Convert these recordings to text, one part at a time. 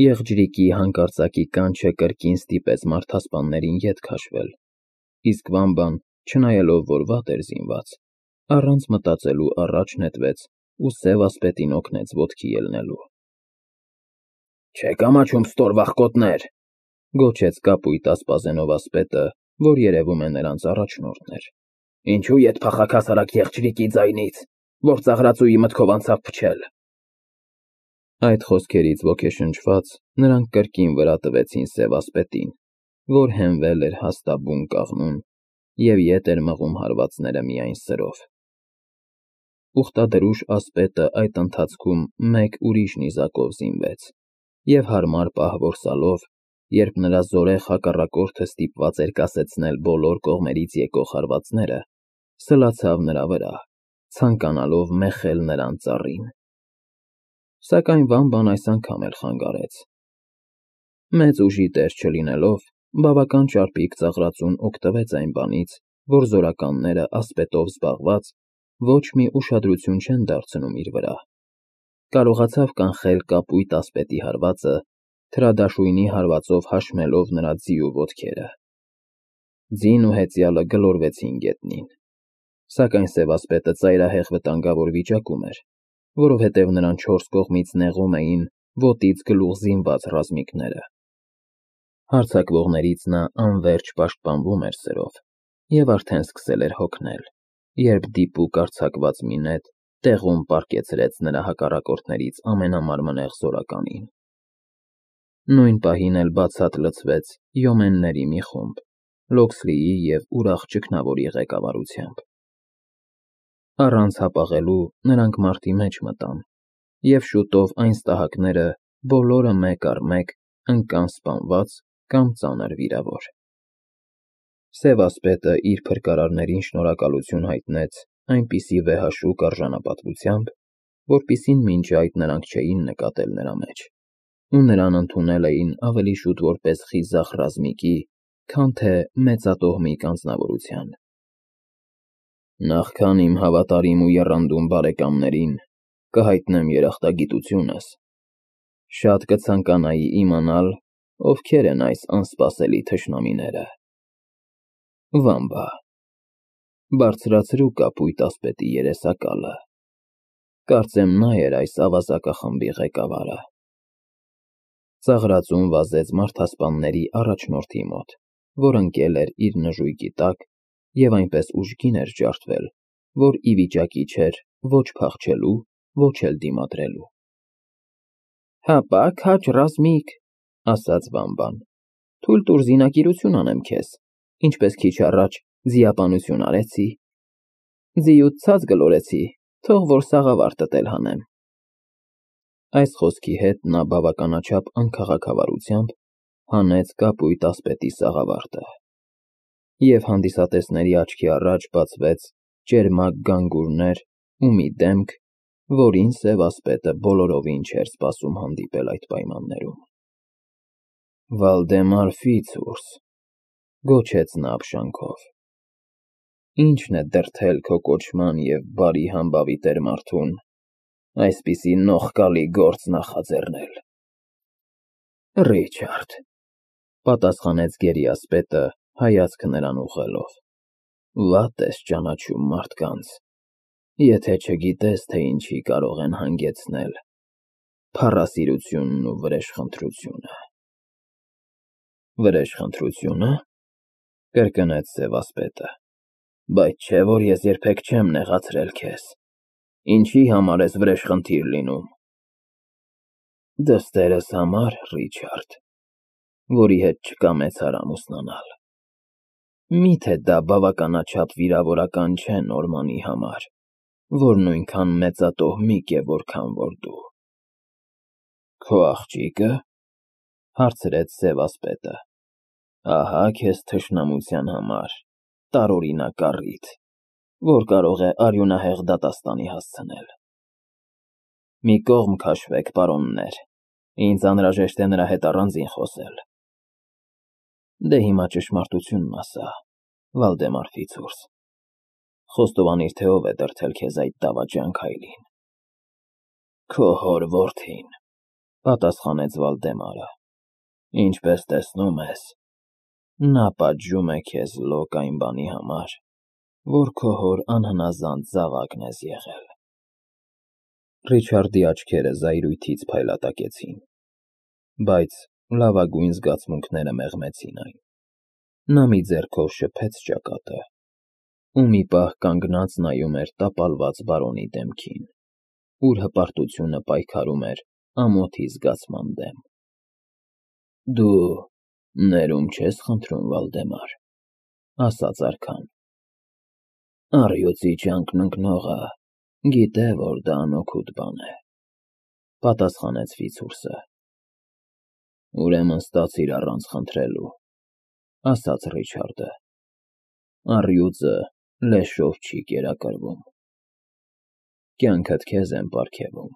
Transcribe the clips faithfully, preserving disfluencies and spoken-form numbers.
Եղջրիկի հանկարծակի կանչը կրկին ստիպեց մարդասպաններին ետ քաշվել, իսկ Վամբան, չնայելով որ վատ էր զինված, առանց մտածելու առաջ նետվեց ու սև ասպետին օգնեց ոտքի ելնելու։ Չեք ամաչում ստոր վախկոտներ, գոչեց կապույտ ասպազենով ասպետը, որ երևում է նրանց առաջնորդն էր։ Ինչու ետ փախաք հասարակ եղջրիկի ձայնից, որ ծաղրածուի մտքով անցավ փչել։ Այդ խոսքերից ոգեշնչված նրանք կրկին վրա տվեցին սև ասպետին, որ հենվել էր հաստաբուն կաղնուն և ետ էր մղում հարվածները միայն սրով։ Ուխտադրուժ ասպետը այդ ընթացքում մեկ ուրիշ նիզակով զինվեց և հարմար պահ որսալով, երբ նրա զորեղ հակառակորդը ստիպված էր կասեցնել բոլոր կողմերից եկող հարվածները, սլացավ նրա վրա, ցանկանալով մեխել նրան ծառին։ Սակայն Վամբան այս անգամ էլ խանգարեց։ Մեծ ուժի տեր չլինելով, բավական ճարպիկ ծաղրածուն օգտվեց այն բանից, որ զորականները ասպետով զբաղված ոչ մի ուշադրություն չեն դարձնում իր վրա, կարողացավ կանխել կապույտ ասպետի հարվածը, թրադաշույնի հարվածով հաշմելով նրա ձիու ոտքերը։ Ձին ու հեծյալը գլորվեցին գետնին, սակայն սև ասպետը ծայրահեղ վտանգավոր վիճակում էր, որովհետև նրան չորս կողմից նեղում էին ոտից գլուխ զինված ռազմիկները։ Հարձակվողներից նա անվերջ պաշտպանվում էր սրով և արդեն սկսել էր հոգնել, երբ դիպուկ արձակված մի նետ տեղում պառկեցրեց նրա հակառակորդներից ամենամարմնեղ զորականին։ Նույն պահին էլ բացատ լցվեց յոմենների մի խումբ, Լոքսլիի և ուրախ ճգնավորի ղեկավարությամբ։ Առանց հապաղելու նրանք մարտի մեջ մտան, և շուտով այն ստահակները բոլորը մեկ առ մեկ ընկան սպանված կամ ծանր վիրավոր։ Սև ասպետը իր փրկարարներին շնորհակալություն հայտնեց այնպիսի վեհաշուկ արժանապատվությամբ, որպիսին մինչ այդ նրանք չէին նկատել նրա մեջ, ու նրան ընդունել էին ավելի շուտ որպես խիզախ ռազմիկի, քան թե մեծատոհմիկ անձնավորության։ Նախքան իմ հավատարիմ ու եռանդուն բարեկամներին կհայտնեմ երախտագիտությունս, շատ կցանկանայի իմանալ, ովքեր են այս անսպասելի թշնամիները։ Վամբա, բարձրացրու կապույտ ասպետի երեսակալը, կարծեմ նա էր այս ավազակախմբի ղեկավարը։ Ծաղրածուն վազեց մարդասպանների առաջնորդի մոտ, որ ընկել էր իր նժույգի տակ և այնպես ուժգին էր ջարդվել, որ ի վիճակի չէր ոչ փախչելու, ոչ էլ դիմադրելու։ Հապա, քաջ ռազմիկ, ասաց Վամբան, թույլ տուր զինակիրություն անեմ քեզ, ինչպես քիչ առաջ ձիապանություն արեցի։ Ձիուդ ցած գլորեցի, թող որ սաղավարտդ էլ հանեմ։ Այս խոսքի հետ նա բավականաչափ անքաղաքավարությամբ հանեց կապույտ ասպետի սաղավարտը, և հանդիսատեսների աչքի առաջ բացվեց ճերմակ գանգուրներ ու մի դեմք, որին սև ասպետը բոլորովին չէր սպասում հանդիպել այդ պայմաններում։ Վալդեմար Ֆիցուրս, գոչեց նա ապշանքով, ի՞նչն է դրդել քո կոչման և բարի համբավի տեր մարդուն այսպիսի նողկալի գործ նախաձեռնել։ Ռիչարդ, պատասխանեց գերի ասպետը, հայացքը նրան ուղղելով, վատ ես ճանաչում մարդկանց, եթե չգիտես, թե ինչի կարող են հանգեցնել փառասիրությունն ու վրեժխնդրությունը։ Վրեժխնդրությո՞ւնը, կրկնեց սև ասպետը, բայց չէ՞ որ ես երբեք չեմ նեղացրել քեզ, ինչի համար ես վրեժխնդիր լինում։ Դստերս համար, Ռիչարդ, որի հետ չկա մեծ հարամ ուսնանալ։ Մի՞թե դա բավականաչափ վիրավորական չէ Նորմանի համար, որ նույնքան մեծատոհմիկ է, որքան որ դու։ Քո աղջիկը, հարցրեց սև ասպետը, ահա քեզ թշնամության համար տարօրինակ առիթ, որ կարող է արյունահեղ դատաստանի հասցնել։ Մի կողմ քաշվեք, պարոններ, ինձ անհրաժեշտ է նրա հետ առանձին խոսել։ Դե հիմա ճշմարտությունն ասա, Վալդեմար Ֆիցուրս, խոստովանիր, թե ով է դրդել քեզ այդ դավաճան քայլին։ Քո հոր որդին, Պատասխանեց Վալդեմարը։ Ինչպես տեսնում ես, նա պատժում է քեզ լոկ այն բանի համար, որ քո հոր անհնազանդ զավակն ես եղել։ Ռիչարդի աչքերը զայրույթից փայլատակեցին, բայց լավագույն զգացմունքները մեղմեցին այն։ Նա մի ձեռքով շփեց ճակատը ու մի պահ կանգնած նայում էր տապալված բարոնի դեմքին, ուր հպարտությունը պայքարում էր ամոթի զգացման դեմ։ Դու ներում չես խնդրում, Վալդեմար, ասաց արքան։ Առյուծի ճանկն ընկնողը գիտե, որ դա անօգուտ բան է, պատասխանեց Ֆիցուրսը։ Ուրեմն ստացիր առանց խնդրելու, ասաց Ռիչարդը։ Առյուծը լեշով չի կերակրվում։ Կյանքդ քեզ եմ պարգևում,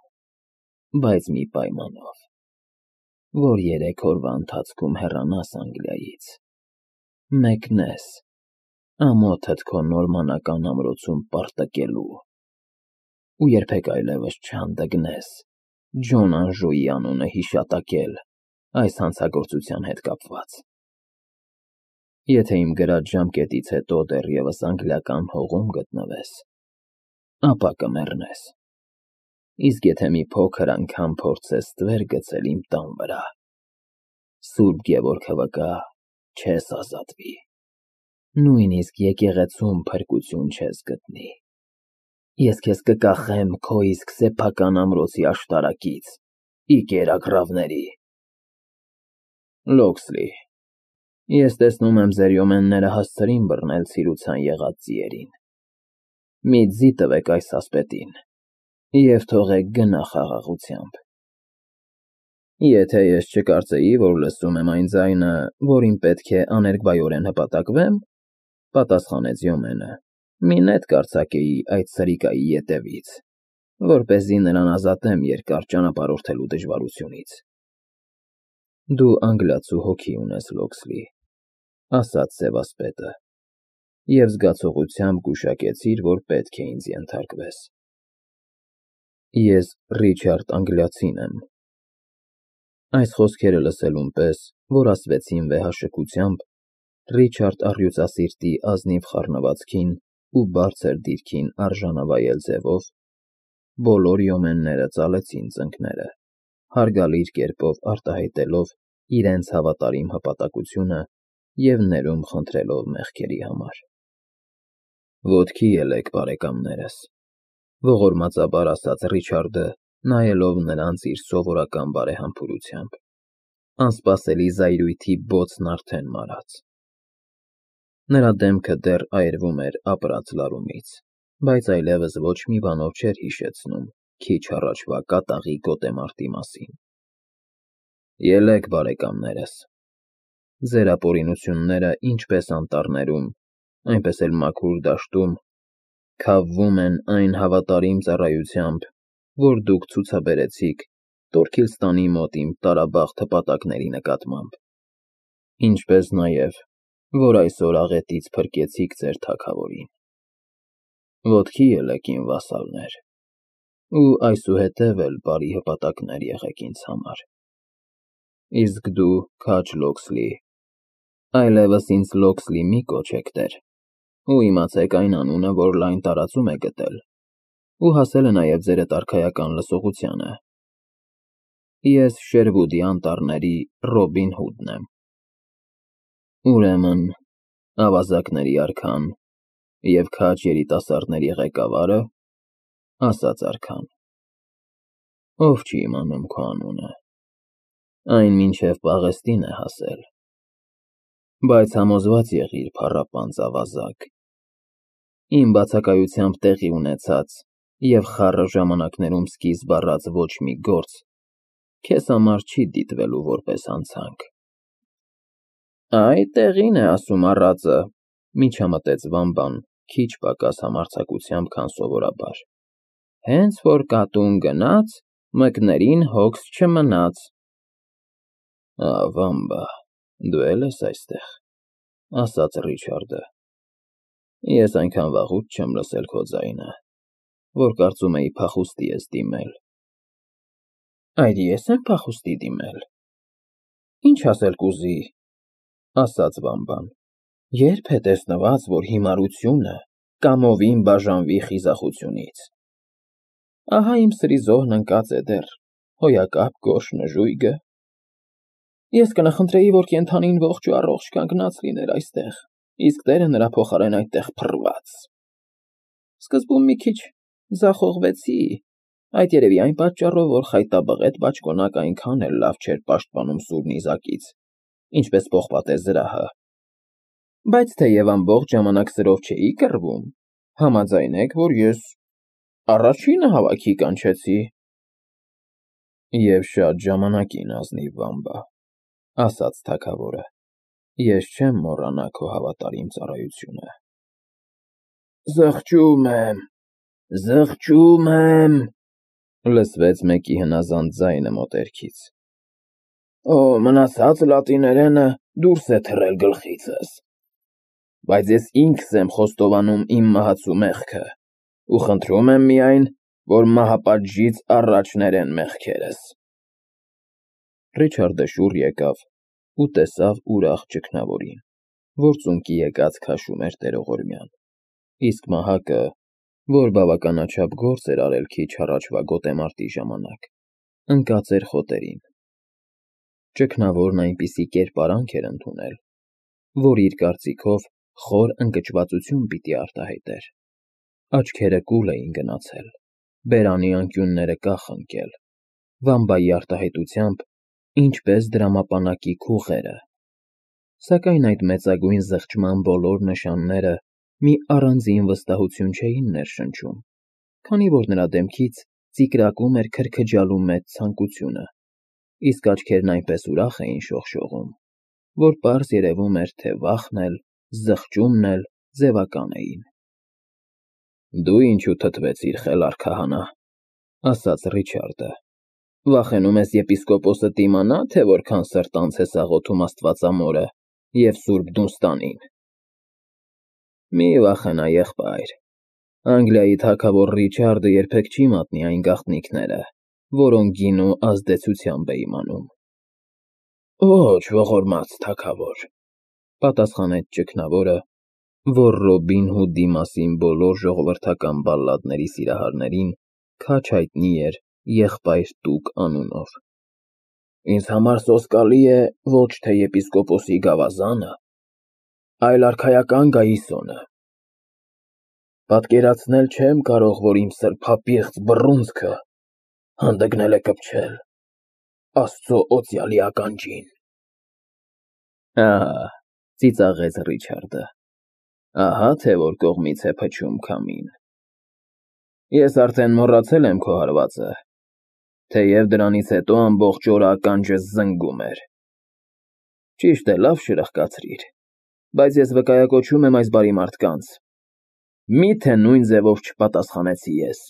բայց մի պայմանով, որ երեք օրվա ընթացքում հեռանաս Անգլիայից, մեկնես ամոթդ քո նորմանական ամրոցում պարտկելու ու երբեք այլևս չհանդգնես Ջոն Անժուի անունը հիշատակել այս հանցագործության հետ կապված։ Եթե իմ գրած ժամկետից հետո դեռևս անգլիական հողում գտնվես, ապա կմեռնես, իսկ եթե մի փոքր անգամ փորձես ստվեր գցել իմ տան վրա, Սուրբ Գևորգը վկա, չես ազատվի, նույնիսկ եկեղեցում փրկություն չես գտնի։ Ես քեզ կկախեմ քո իսկ սեփական ամրոցի աշտարակից, ի կերակրավների։ Լոքսլի, ես տեսնում եմ ձեր յոմենները հասցրին բռնել ցիրուցան եղած ձիերին։ Մի ձի տվեք այս ասպետին և թողեք գնա խաղաղությամբ։ Եթե ես չկարծեի, որ լսում եմ այն ձայնը, որին պետք է աներկբայորեն հպատակվեմ, պատասխանեց Յոմենը, մի նետ կարձակեի այդ սրիկայի ետևից, որպեսզի նրան ազատեմ երկար ճանապարհորդելու դժվարությունից։ Դու անգլիացու հոգի ունես, Լոքսլի, ասաց սևասպետը, և զգացողությամբ գուշակեցիր, որ պետք է ինձ ենթարկվես։ Ես Ռիչարդ Անգլիացին եմ։ Այս խոսքերը լսելուն պես, որ ասվեցին վեհաշքությամբ, Ռիչարդ առյուծասիրտի ազնիվ խառնվածքին ու բարձր դիրքին արժանավայել ձևով, բոլոր յոմենները ծալեցին ծնկները, հարգալից կերպով արտահայտելով իրենց հավատարիմ հպատակությունը և ներում խնդրելով մեղքերի համար։ Ոտքի ելեք, բարեկամներս, ողորմածաբար ասաց Ռիչարդը, նայելով նրանց իր սովորական բարեհամբուրությամբ, անսպասելի զայրույթի բոցն արդեն մարած։ Նրա դեմքը դեռ այրվում էր ապրած լարումից, բայց այլևս ոչ մի բանով չէր հիշեցնում քիչ առաջվա կատաղի գոտեմարտի մասին։ Ելեք, բարեկամներս, ձեր ապօրինությունները ինչպես անտառներում, այնպես էլ մաքուր դաշտում քավվում են այն հավատարիմ ծառայությամբ, որ դուք ցուցաբերեցիք Տորքիլստանի մոտ իմ տարաբախտ հպատակների նկատմամբ, ինչպես նաև, որ այսօր աղետից փրկեցիք ձեր թագավորին։ Ոտքի ելեք, իմ վասալներ, ու այսուհետև էլ բարի հպատակներ եղեք ինձ համար։ Իսկ դու, քաջ Լոքսլի, այլևս ինձ Լոքսլի մի կոչեք, տեր, ու իմացեք այն անունը, որ լայն տարածում է գտել ու հասել է նաև ձերդ արքայական լսողությանը։ Ես Շերվուդի անտառների Ռոբին Հուդն եմ։ Ուրեմն, ավազակների արքան և քաջ երիտասարդների ղեկավա՞րը, ասաց արքան։ Ով չի իմանում քո անունը, այն մինչև Պաղեստին է հասել, բայց համոզված եղիր, փառապանծ ավազակ, իմ բացակայությամբ տեղի ունեցած և խառը ժամանակներում սկիզբ առած ոչ մի գործ քեզ համար չի դիտվելու որպես հանցանք։ Այ տեղին է ասում առածը, միջամտեց Վամբան քիչ պակաս համարձակությամբ, քան սովորաբար, հենց որ կատուն գնաց, մկներին հոգս չմնաց։ Ա, Վամբա, դու էլ ես այստեղ, ասաց Ռիչարդը։ Ես այնքան վաղուց չեմ լսել քո ձայնը, որ կարծում էի փախուստի ես դիմել։ Այր ես եմ փախուստի դիմել։ Ինչ ասել կուզի, ասաց Բամբան։ Երբ է տեսնված, որ հիմարությունը կամովին բաժանվի խիզախությունից։ Ահա իմ սրի զոհն ընկած է դեռ, հոյակապ գորշ նժույգը։ Ես կնխնդրեի, որ կենդանին ողջ ու առողջ կանգնած լիներ այստեղ, իսկ տերը նրա փոխարեն այդտեղ փռված։ Սկզբում մի քիչ ձախողվեցի, այդ երևի այն պատճառով, որ խայտաբղետ բաճկոնակ այնքան էլ լավ չէր պաշտպանում սուր նիզակից, ինչպես պողպատե զրահը։ Բայց թեև ամբողջ ժամանակ սրով չէի կռվում, համաձայնեք, որ ես առաջինը հավաքի կանչեցի։ Եվ շատ ժամանակին, ազնիվ Բամբա, ասաց թագավորը, ես չեմ մոռանա քո հավատարիմ ծառայությունը։ Զղջում եմ, զղջում եմ, լսվեց մեկի հնազանդ ձայնը մոտերքից։ Օ, մնացած լատիներենը դուրս է թռել գլխիցս։ Բայց ես ինքս եմ խոստովանում իմ մահացու մեղքը, ու խնդրում եմ միայն, որ մահապատժից առաջ ներեն մեղքերս։ Ռիչարդը շուռ եկավ ու տեսավ ուրախ ճգնավորին, որ ծունկի եկած քաշում էր տերողորմյան, իսկ մահակը, որ բավականաչափ գործ էր արել քիչ առաջվա գոտեմարտի ժամանակ, ընկած էր խոտերին։ Ճգնավորն այնպիսի կերպարանք էր ընդունել, որ իր կարծիքով խոր ընկճվածություն պիտի արտահայտեր։ Աչքերը կուլ էին գնացել, բերանի անկյունները կախ ընկել, Բամբայի արտահայտությամբ ինչպես դրամապանակի քուղերը։ Սակայն այդ մեծագույն զղջման բոլոր նշանները մի առանձին վստահություն չէին ներշնչում, քանի որ նրա դեմքից ծիկրակում էր քրքջալու մեծ ցանկությունը, իսկ աչքերն այնպես ուրախ էին շողշողում, որ պարզ երևում էր, թե վախն էլ, զղջումն էլ ձևական էին։ Դու ինչու թթվեցիր, խելառ քահանա, ասաց Ռիչարդը, վախենում ես եպիսկոպոսը դիմանա, թե որքան սրտանց ես աղոթում Աստվածամորը և Սուրբ Դունստանին։ Մի վախենա, եղբայր, Անգլիայի թագավոր Ռիչարդը երբեք չի մատնի այն գաղտնիքները, որոնք գինու ազդեցությամբ է իմանում։ Ոչ, ողորմած թագավոր, պատասխանեց ճգնավորը, որ Ռոբին Հուդի մասին բոլոր ժողովրդական բալլադների սիրահարներին քաջ հայտնի էր Եղբայր Տուկ անունով։ Ինձ համար սոսկալի է ոչ թե եպիսկոպոսի գավազանը, այլ արքայական գայիսոնը։ Պատկերացնել չեմ կարող, որ իմ սրբապիղծ բռունցքը հանդգնել է կպչել Աստծո օծյալի ականջին։ Ահա, ծիծաղեց Ռիչարդը, ահա թե որ կողմից է փչում քամին։ Ես արդեն մոռացել եմ քո հարվածը, թեև դրանից հետո ամբողջ օրը ականջս զնգում էր։ Ճիշտ է, լավ շրխկացրիր, բայց ես վկայակոչում եմ այս բարի մարդկանց։ Մի՞թե նույն ձևով չպատասխանեցի ես։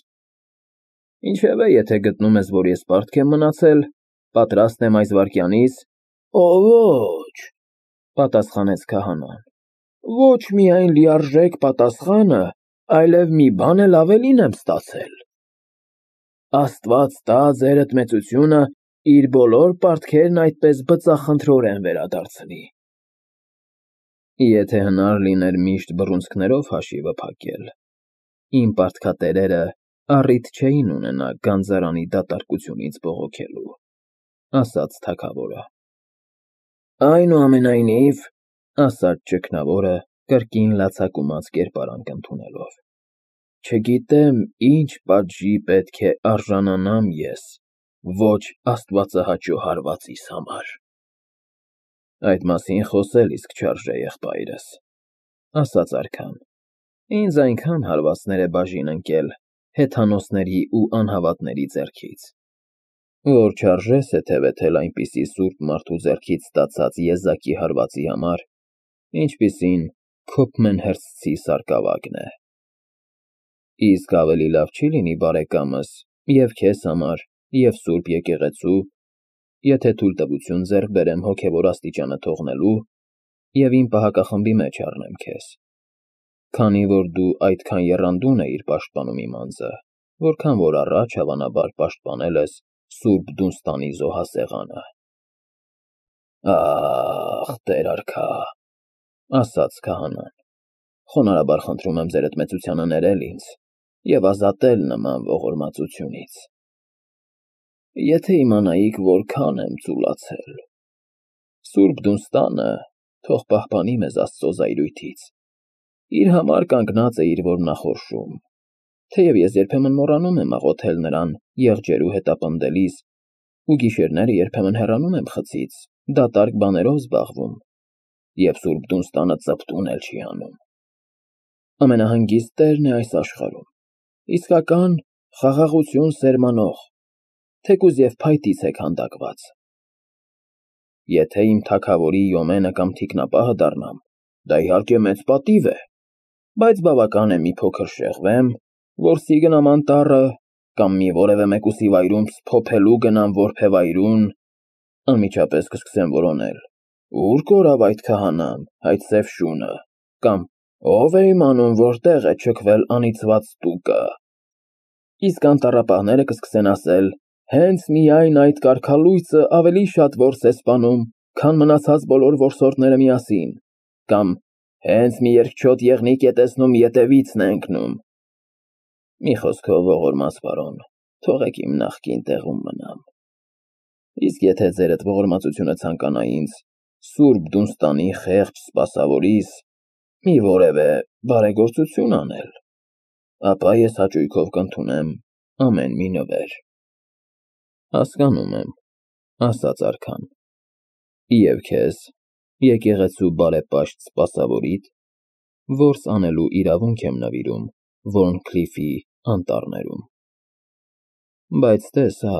Ինչևէ, եթե գտնում ես, որ ես պարտք եմ մնացել, պատրաստ եմ այս վայրկյանից։ Օ, ոչ, պատասխանեց քահանան, ոչ միայն լիարժեք պատասխանը, այլև մի բան էլ ավելին եմ ստացել։ Աստված տա ձերդ մեծությունը իր բոլոր պարտքերն այդպես բծախնդրորեն վերադարձնի։ Եթե հնար լիներ միշտ բռունցքներով հաշիվը փակել, իմ պարտքատերերը առիթ չէին ունենա գանձարանի դատարկությունից բողոքելու, ասաց թագավորը։ Այնուամենայնիվ, ասաց ճգնավորը կրկին լացակումած կերպարանք ընդունելով, չգիտեմ ինչ պատժի պետք է արժանանամ ես ոչ աստվածահաճո հարվածիս համար։ Այդ մասին խոսել իսկ չարժե, եղբայրս, ասաց արքան, ինձ այնքան հարվածներ է բաժին ընկել հեթանոսների ու անհավատների ձեռքից, որ չարժե սեթևեթել այնպիսի սուրբ մարդու ձեռքից ստացած եզակի հարվածի համար, ինչպիսին Քոփմենհըրսթի սարկավագն է։ Իսկ ավելի լավ չի լինի, բարեկամս, և քեզ համար, և սուրբ եկեղեցու, եթե թույլտվություն ձեռք բերեմ հոգևոր աստիճանը թողնելու և իմ պահակախմբի մեջ առնեմ քեզ, քանի որ դու այդքան եռանդուն էիր պաշտպանում իմ անձը, որքան որ առաջ, հավանաբար, պաշտպանել ես Սուրբ Դունստանի զոհասեղանը։ Ախ, Տեր արքա, ասաց քահանան, խոնարհաբար խնդրում եմ ձերդ մեծությանը ներել ինձ և ազատել նման ողորմածությունից։ Եթե իմանայիք, որքան եմ ծուլացել։ Սուրբ Դունստանը թող պահպանի մեզ Աստծո զայրույթից։ Իր համար կանգնած է իր որմնախորշում, թեև ես երբեմն մոռանում եմ աղոթել նրան եղջերու հետապնդելիս ու գիշերները երբեմն հեռանում եմ խցից, դատարկ բաներով զբաղվում, և Սուրբ Դունստանը ծպտուն էլ չի անում։ Ամենահանգիստ Տերն է այս աշխարհում, իսկական խաղաղություն սերմանող, թեկուզ և փայտից է քանդակված։ Եթե իմ թագավորի յոմենը կամ թիկնապահը դառնամ, դա իհարկե մեծ պատիվ է, բայց բավական է մի փոքր շեղվեմ, որսի գնամ անտառը, կամ մի որևէ մեկուսի վայրում սփոփելու գնամ որբևայրուն, անմիջապես կսկսեմ որոնել. «Ո՞ւր կորավ այդ քահանան, այդ սև շունը», կամ «Ո՞վ է իմանում որտեղ է չքվել անիծված Տուկը»։ Իսկ անտառապահները կսկսեն ասել. «Հենց միայն այդ կարգալույծը ավելի շատ որս է սպանում, քան մնացած բոլոր որսորդները միասին», կամ «Հենց մի երկչոտ եղնիկ է տեսնում, ետևից է ընկնում»։ Մի խոսքով, ողորմած պարոն, թողեք իմ նախկին տեղում մնամ։ Իսկ եթե ձերդ ողորմածությունը ցանկանա ինձ Սուրբ Դունստանի խեղճ սպասավորիս մի որևէ բարեգործություն անել, ապա ես հաճույքով կընդունեմ ամեն մի նվեր։ Հասկանում եմ, ասաց արքան, և քեզ, եկեղեցու բարեպաշտ սպասավորիդ, որս անելու իրավունք եմ նվիրում Վորնքլիֆի անտառներում։ Բայց տես հա,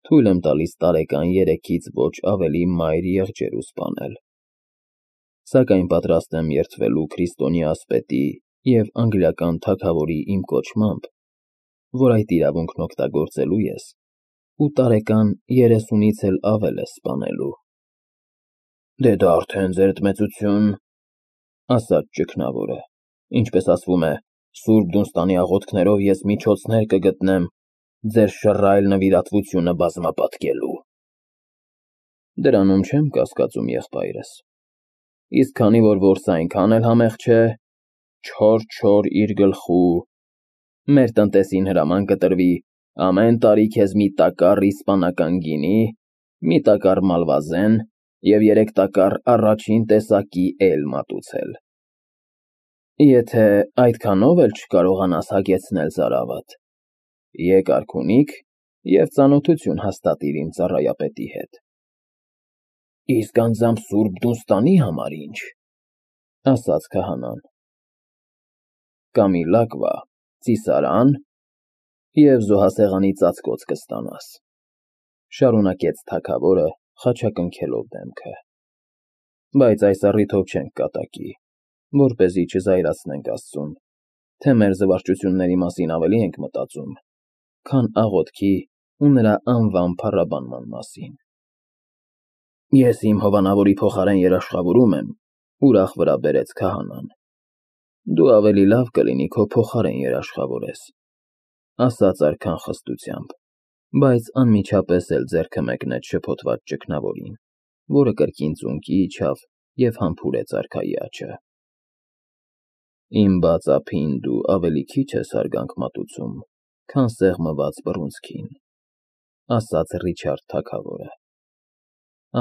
թույլ եմ տալիս տարեկան երեքից ոչ ավելի մայր եղջերու սպանել, սակայն պատրաստ եմ երդվելու քրիստոնյա ասպետի և անգլիական թագավորի իմ կոչմամբ, որ այդ իրավունքն օգտագործելու ես ու տարեկան երեսունից էլ ավել ես սպանելու։ Դե դա արդեն ձերդ մեծություն, ասաց ճգնավորը, ինչպես ասվում է, Սուրբ Դունստանի աղոթքներով ես միջոցներ կգտնեմ ձեր շռայլ նվիրատվությունը բազմապատկելու։ Դրանում չեմ կասկածում, եղբայրս, իսկ քանի որ որսը այնքան էլ համեղ չէ, չոր չոր իր գլխու, մեր տնտեսին հրաման կտրվի ամեն տարի քեզ մի տակառ իսպանական գինի, մի տակառ մալվազեն և երեք տակառ առաջին տեսակի էյլ մատուցել։ Եթե այդքանով էլ չկարողանաս հագեցնել ծարավդ, եկ արքունիք և ծանոթություն հաստատիր իմ ծառայապետի հետ։ Իսկ անձամբ Սուրբ Դունստանի համար ինչ, ասաց քահանան։ Կամի լակվա, ծիսարան և զոհասեղանի ծածկոց կստանաս, շարունակեց թագավորը խաչակնքելով դեմքը, բայց այս առիթով չենք կատակի, որպեսզի չզայրացնենք Աստծուն, թե մեր զվարճությունների մասին ավելի ենք մտածում, քան աղոթքի ու նրա անվան փառաբանման մասին։ Ես իմ հովանավորի փոխարեն երաշխավորում եմ, ուրախ վրա բերեց քահանան։ Դու ավելի լավ կլինի քո փոխարեն երաշխավորես, ասաց արքան խստությամբ, բայց անմիջապես էլ ձեռքը մեկնեց շփոթված ճգնավորին, որը կրկին ծունկի իջավ և համբուրեց արքայի աջը։ Իմ բաց ափին դու ավելի քիչ ես հարգանք մատուցում, քան սեղմված բռունցքին, ասաց Ռիչարդ թագավորը։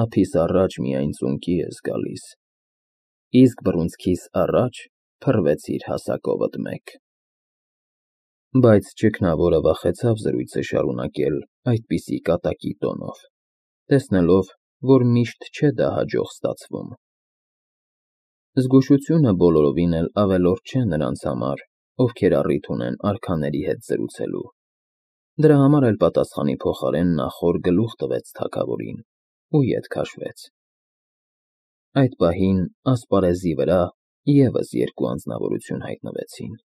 Ափիս առաջ միայն ծունկի ես գալիս, իսկ բռունցքիս առաջ փռվեցիր հասակովդ մեկ։ Բայց ճգնավորը վախեցավ զրույցը շարունակել այդպիսի կատակի տոնով, տեսնելով, որ միշտ չէ դա հաջող ստացվում։ Զգուշությունը բոլորովին էլ ավելորդ չէ նրանց համար, ովքեր առիթ ունեն արքաների հետ զրուցելու։ Դրա համար էլ պատասխանի փոխարեն նա խոր գլուխ տվեց թագավորին ու ետ քաշվեց։ Այդ պահին ասպարեզի վրա ևս երկու անձնավորություն հայտնվեցին։